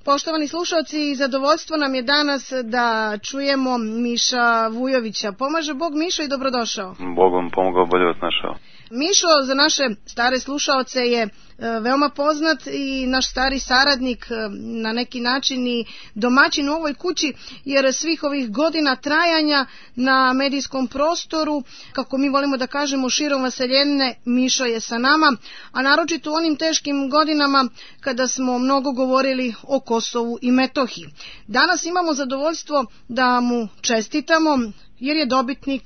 Poštovani slušalci, zadovoljstvo nam je danas da čujemo Miša Vujovića. Pomaže Bog, Mišo, i dobrodošao. Bog vam pomogao, bolje vas našao. Mišo za naše stare slušaoce je veoma poznat i naš stari saradnik, na neki način i domaćin u ovoj kući, jer svih ovih godina trajanja na medijskom prostoru, kako mi volimo da kažemo, širom vaseljenine, Mišo je sa nama, a naročito u onim teškim godinama kada smo mnogo govorili o Kosovu i Metohiji. Danas imamo zadovoljstvo da mu čestitamo, jer je dobitnik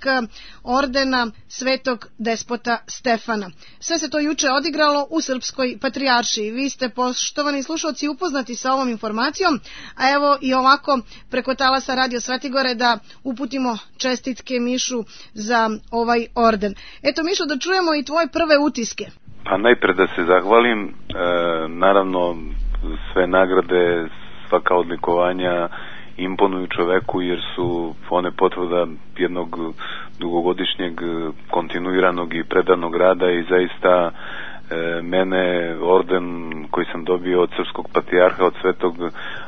ordena Svetog despota Stefana. Sve se to juče odigralo u Srpskoj patrijaršiji. Vi ste, poštovani slušalci, upoznati sa ovom informacijom, a evo i ovako preko talasa Radio Svetigore da uputimo čestitke Mišu za ovaj orden. Eto, Mišo, da čujemo i tvoje prve utiske. Pa najpre da se zahvalim, naravno sve nagrade, svaka odlikovanja imponuju čoveku, jer su one potvrda jednog dugogodišnjeg kontinuiranog i predanog rada i zaista mene orden koji sam dobio od Srpskog patrijarha, od Svetog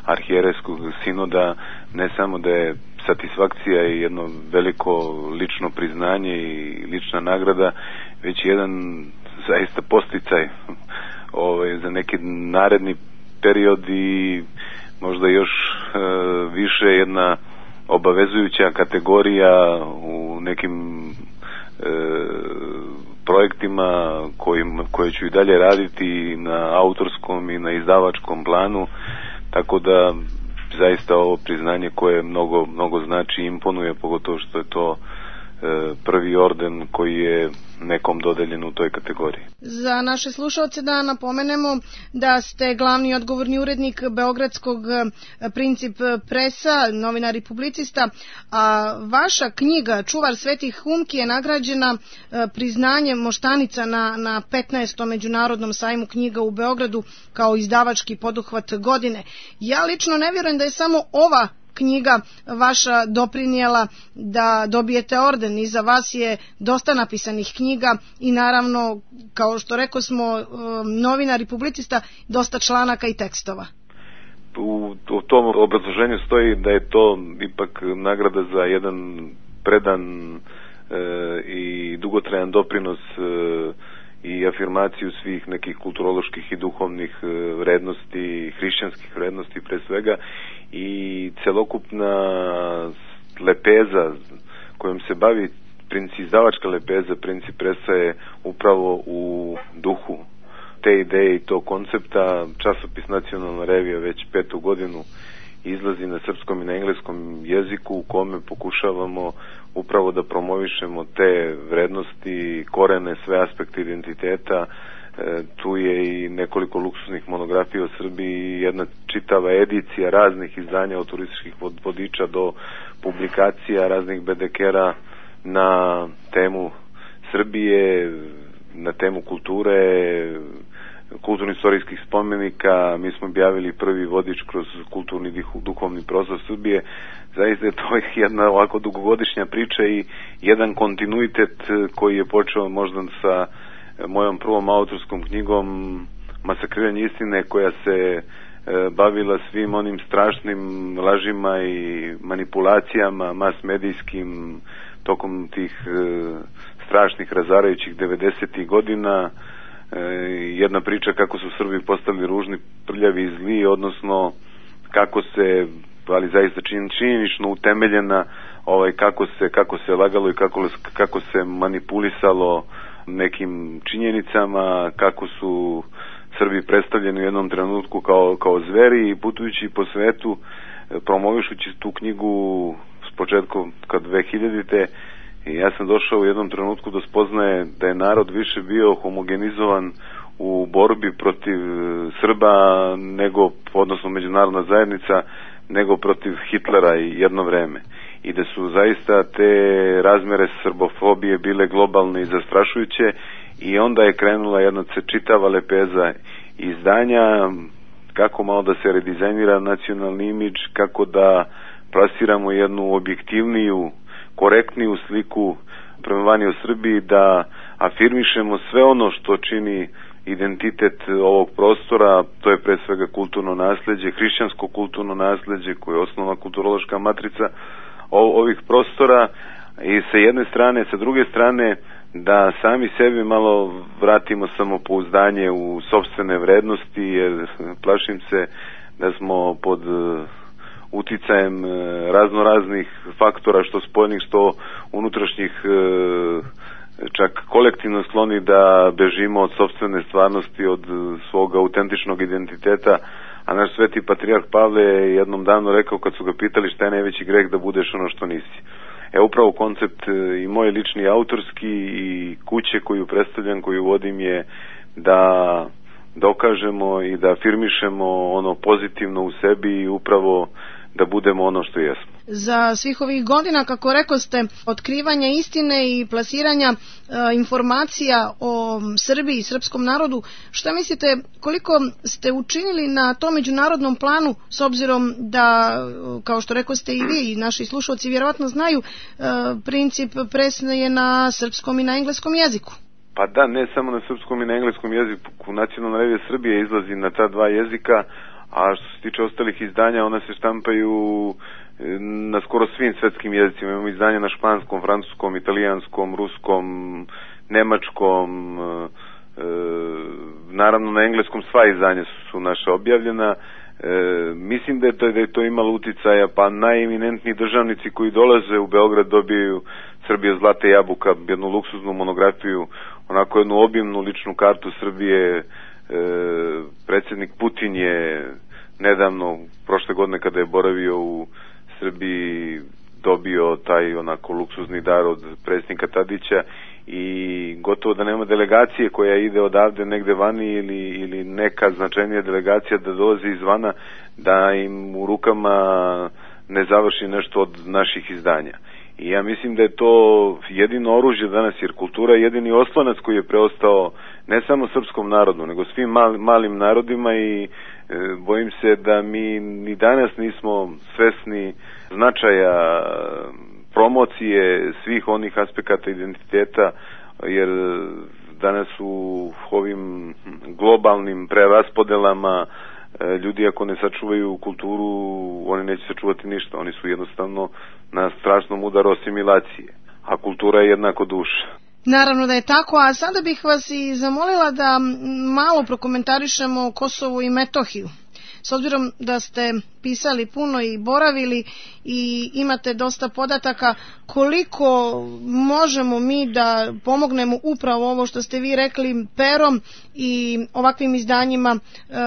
arhijerejskog sinoda, ne samo da je satisfakcija i jedno veliko lično priznanje i lična nagrada, već jedan zaista posticaj za neki naredni period i možda još više jedna obavezujuća kategorija u nekim projektima koje ću i dalje raditi na autorskom i na izdavačkom planu, tako da zaista ovo priznanje koje mnogo znači, imponuje, pogotovo što je to prvi orden koji je nekom dodeljen u toj kategoriji. Za naše slušalce da napomenemo da ste glavni odgovorni urednik beogradskog Princip presa, novinar i publicista, a vaša knjiga Čuvar svetih humki je nagrađena priznanjem Moštanica na 15. međunarodnom sajmu knjiga u Beogradu kao izdavački poduhvat godine. Ja lično ne vjerujem da je samo ova knjiga vaša doprinijela da dobijete orden. Iza vas je dosta napisanih knjiga i naravno, kao što rekao smo, novinar i publicista, dosta članaka i tekstova. U tom obrazloženju stoji da je to ipak nagrada za jedan predan i dugotrajan doprinos i afirmaciju svih nekih kulturoloških i duhovnih vrednosti, hrišćanskih vrednosti pre svega, i celokupna lepeza kojom se bavi izdavačka lepeza Princip presa je upravo u duhu te ideje i tog koncepta. Časopis Nacionalna revija već 5. godinu izlazi na srpskom i na engleskom jeziku, u kome pokušavamo upravo da promovišemo te vrednosti, korene, sve aspekte identiteta. Tu je i nekoliko luksuznih monografija o Srbiji i jedna čitava edicija raznih izdanja, od turističkih vodiča do publikacija raznih bedekera na temu Srbije, na temu kulture, kulturno-istorijskih spomenika. Mi smo objavili prvi vodič kroz kulturni duhovni prostor Srbije. Zaista je to jedna ovako dugogodišnja priča i jedan kontinuitet koji je počeo možda sa mojom prvom autorskom knjigom Masakriranje istine, koja se bavila svim onim strašnim lažima i manipulacijama mas medijskim tokom tih strašnih razarajućih 90. godina. Jedna priča kako su Srbi postali ružni, prljavi i zli, odnosno kako se, ali zaista činjenično utemeljena, kako se lagalo i kako se manipulisalo nekim činjenicama, kako su Srbi predstavljeni u jednom trenutku kao zveri, i putujući po svetu, promovišući tu knjigu s početkom 2000-te, ja sam došao u jednom trenutku do spoznaje da je narod više bio homogenizovan u borbi protiv Srba, odnosno međunarodna zajednica, nego protiv Hitlera i jedno vreme. I da su zaista te razmere srbofobije bile globalne i zastrašujuće, i onda je krenula jedna čitava lepeza izdanja, kako malo da se redizajnira nacionalni imidž, kako da plasiramo jednu objektivniju, korektniju sliku prema vani o Srbiji, da afirmišemo sve ono što čini identitet ovog prostora, to je pre svega kulturno nasleđe, hrišćansko kulturno nasleđe koje je osnovna kulturološka matrica ovih prostora i sa jedne strane, sa druge strane da sami sebi malo vratimo samopouzdanje u sopstvene vrednosti, jer plašim se da smo pod uticajem raznoraznih faktora, što spoljnih, što unutrašnjih, čak kolektivno skloni da bežimo od sopstvene stvarnosti, od svog autentičnog identiteta. A naš sveti patrijarh Pavle je jednom danu rekao, kad su ga pitali šta je najveći greh, da budeš ono što nisi. Upravo koncept i moj lični autorski i kuće koju predstavljam, koju vodim, je da dokažemo i da afirmišemo ono pozitivno u sebi i upravo da budemo ono što jesmo. Za svih ovih godina, kako rekoste, otkrivanja istine i plasiranja informacija o Srbiji i srpskom narodu, šta mislite, koliko ste učinili na tom međunarodnom planu, s obzirom da, kao što rekoste i vi i naši slušalci vjerovatno znaju, princip presne je na srpskom i na engleskom jeziku? Pa da, ne samo na srpskom i na engleskom jeziku. Nacionalna revija Srbije izlazi na ta dva jezika, a što se tiče ostalih izdanja, ona se štampaju na skoro svim svetskim jezicima. Imamo izdanja na španskom, francuskom, italijanskom, ruskom, nemačkom, naravno na engleskom sva izdanja su naša objavljena. Mislim da je to imalo uticaja, pa najeminentniji državnici koji dolaze u Beograd dobiju Srbija zlata jabuka, jednu luksuznu monografiju, onako jednu obimnu ličnu kartu Srbije. Predsjednik Putin je nedavno, prošle godine kada je boravio u Srbiji, dobio taj onako luksuzni dar od predsjednika Tadića i gotovo da nema delegacije koja ide odavde negde vani ili neka značajnija delegacija da dolazi izvana da im u rukama ne završi nešto od naših izdanja. I ja mislim da je to jedino oružje danas, jer kultura je jedini oslonac koji je preostao ne samo srpskom narodu, nego svim malim narodima i bojim se da mi ni danas nismo svesni značaja promocije svih onih aspekata identiteta, jer danas u ovim globalnim preraspodelama ljudi ako ne sačuvaju kulturu, oni neće sačuvati ništa. Oni su jednostavno na strašnom udaru asimilacije, a kultura je jednako duša. Naravno da je tako, a sada bih vas i zamolila da malo prokomentarišemo Kosovo i Metohiju. S obzirom da ste pisali puno i boravili i imate dosta podataka, koliko možemo mi da pomognemo upravo ovo što ste vi rekli perom i ovakvim izdanjima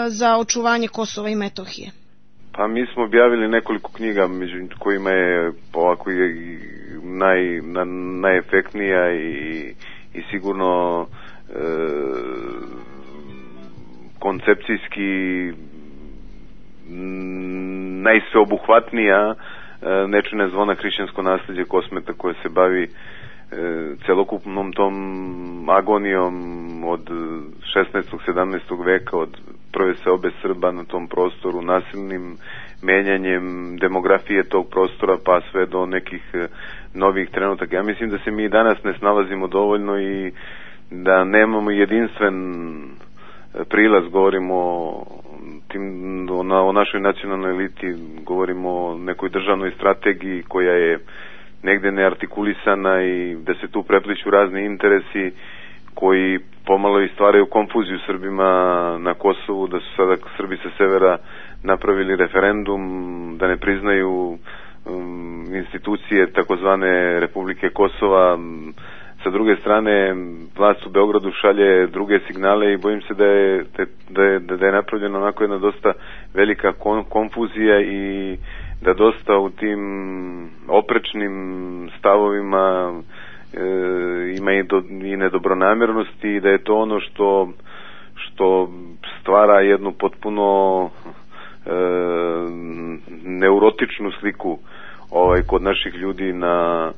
za očuvanje Kosova i Metohije? Pa mi smo objavili nekoliko knjiga, među kojima je ovako najefektnija i sigurno koncepcijski najsveobuhvatnija Nečune zvona hrišćansko nasleđe Kosmeta, koje se bavi celokupnom tom agonijom od 16. 17. veka, od prve seobe Srba na tom prostoru, nasilnim menjanjem demografije tog prostora pa sve do nekih novih trenutaka. Ja mislim da se mi danas ne snalazimo dovoljno i da nemamo jedinstven prilaz, govorimo o našoj nacionalnoj eliti, govorimo o nekoj državnoj strategiji koja je negde neartikulisana i da se tu prepliću razni interesi koji pomalo i stvaraju konfuziju Srbima na Kosovu, da su sada Srbi sa severa napravili referendum, da ne priznaju institucije takozvane Republike Kosova. Sa druge strane, vlast u Beogradu šalje druge signale i bojim se da je napravljena onako jedna dosta velika konfuzija i da dosta u tim oprečnim stavovima ima i nedobronamjernosti i da je to ono što stvara jednu potpuno neurotičnu sliku kod naših ljudi na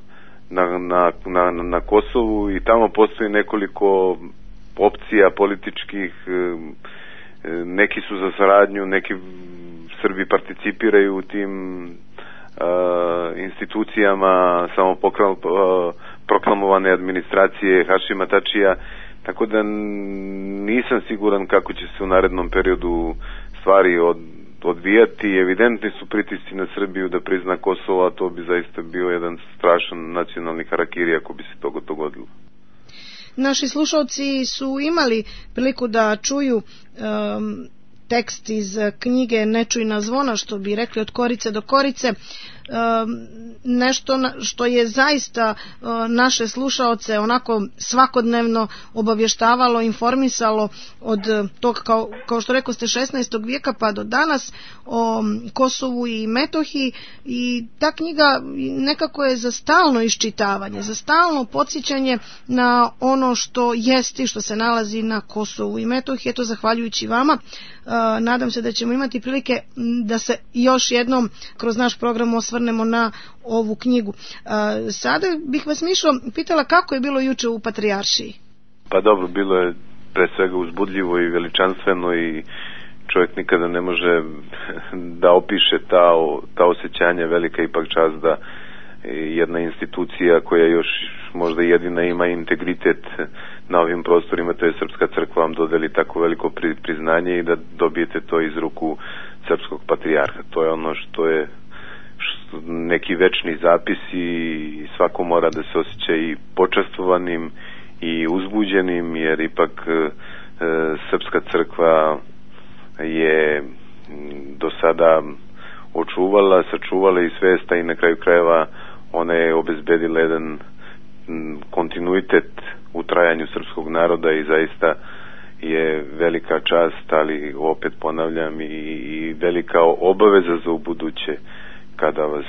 Kosovu i tamo postoji nekoliko opcija političkih, neki su za saradnju, neki Srbi participiraju u tim institucijama samoproklamovane administracije Hašima Tačija. tako da nisam siguran kako će se u narednom periodu stvari odvijati. Evidentni su pritisci na Srbiju da prizna Kosovo, a to bi zaista bio jedan strašan nacionalni harakiri ako bi se to dogodilo. Naši slušalci su imali priliku da čuju tekst iz knjige Nečujna zvona, što bi rekli od korice do korice, nešto što je zaista naše slušaoce onako svakodnevno obavještavalo, informisalo od tog, kao što rekao ste, 16. vijeka pa do danas, o Kosovu i Metohiji, i ta knjiga nekako je za stalno iščitavanje, za stalno podsjećanje na ono što jest i što se nalazi na Kosovu i Metohiji. Eto, zahvaljujući vama, nadam se da ćemo imati prilike da se još jednom kroz naš program osvrnemo na ovu knjigu. Sada bih vas, Mišo, pitala kako je bilo juče u Patrijaršiji. Pa dobro, bilo je pre svega uzbudljivo i veličanstveno i čovjek nikada ne može da opiše ta osjećanja. Velika ipak čast da jedna institucija koja još možda jedina ima integritet na ovim prostorima, to je Srpska crkva, vam dodeli tako veliko priznanje i da dobijete to iz ruku srpskog patrijarha. To je ono što je neki večni zapis i svako mora da se osjeća i počastvovanim i uzbuđenim, jer ipak Srpska crkva je do sada sačuvala i svesta i na kraju krajeva ona je obezbedila jedan kontinuitet u trajanju srpskog naroda i zaista je velika čast, ali opet ponavljam i velika obaveza za ubuduće kada vas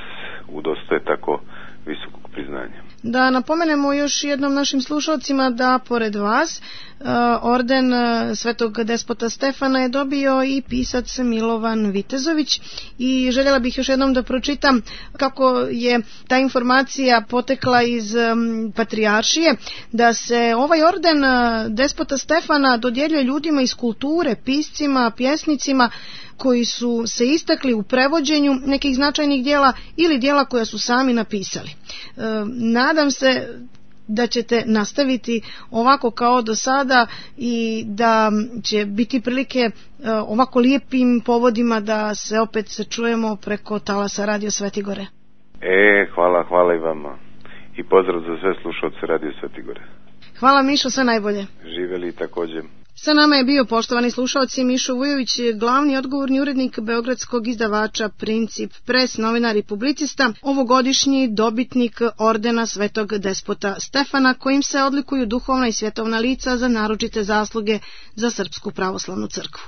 udostoje tako visokog priznanja. Da napomenemo još jednom našim slušalcima da pored vas orden Svetog despota Stefana je dobio i pisac Milovan Vitezović, i željela bih još jednom da pročitam kako je ta informacija potekla iz Patrijaršije, da se ovaj orden despota Stefana dodjeljuje ljudima iz kulture, piscima, pjesnicima koji su se istakli u prevođenju nekih značajnih dijela ili dijela koja su sami napisali. Nadam se da ćete nastaviti ovako kao do sada i da će biti prilike ovako lijepim povodima da se opet čujemo preko talasa Radio Svetigore. Hvala i vama. I pozdrav za sve slušalce Radio Svetigore. Hvala, Mišo, sve najbolje. Živeli također. Sa nama je bio, poštovani slušalci, Mišo Vujović, glavni odgovorni urednik beogradskog izdavača Princip Press, novinar i publicista, ovogodišnji dobitnik ordena Svetog despota Stefana, kojim se odlikuju duhovna i svjetovna lica za naročite zasluge za Srpsku pravoslavnu crkvu.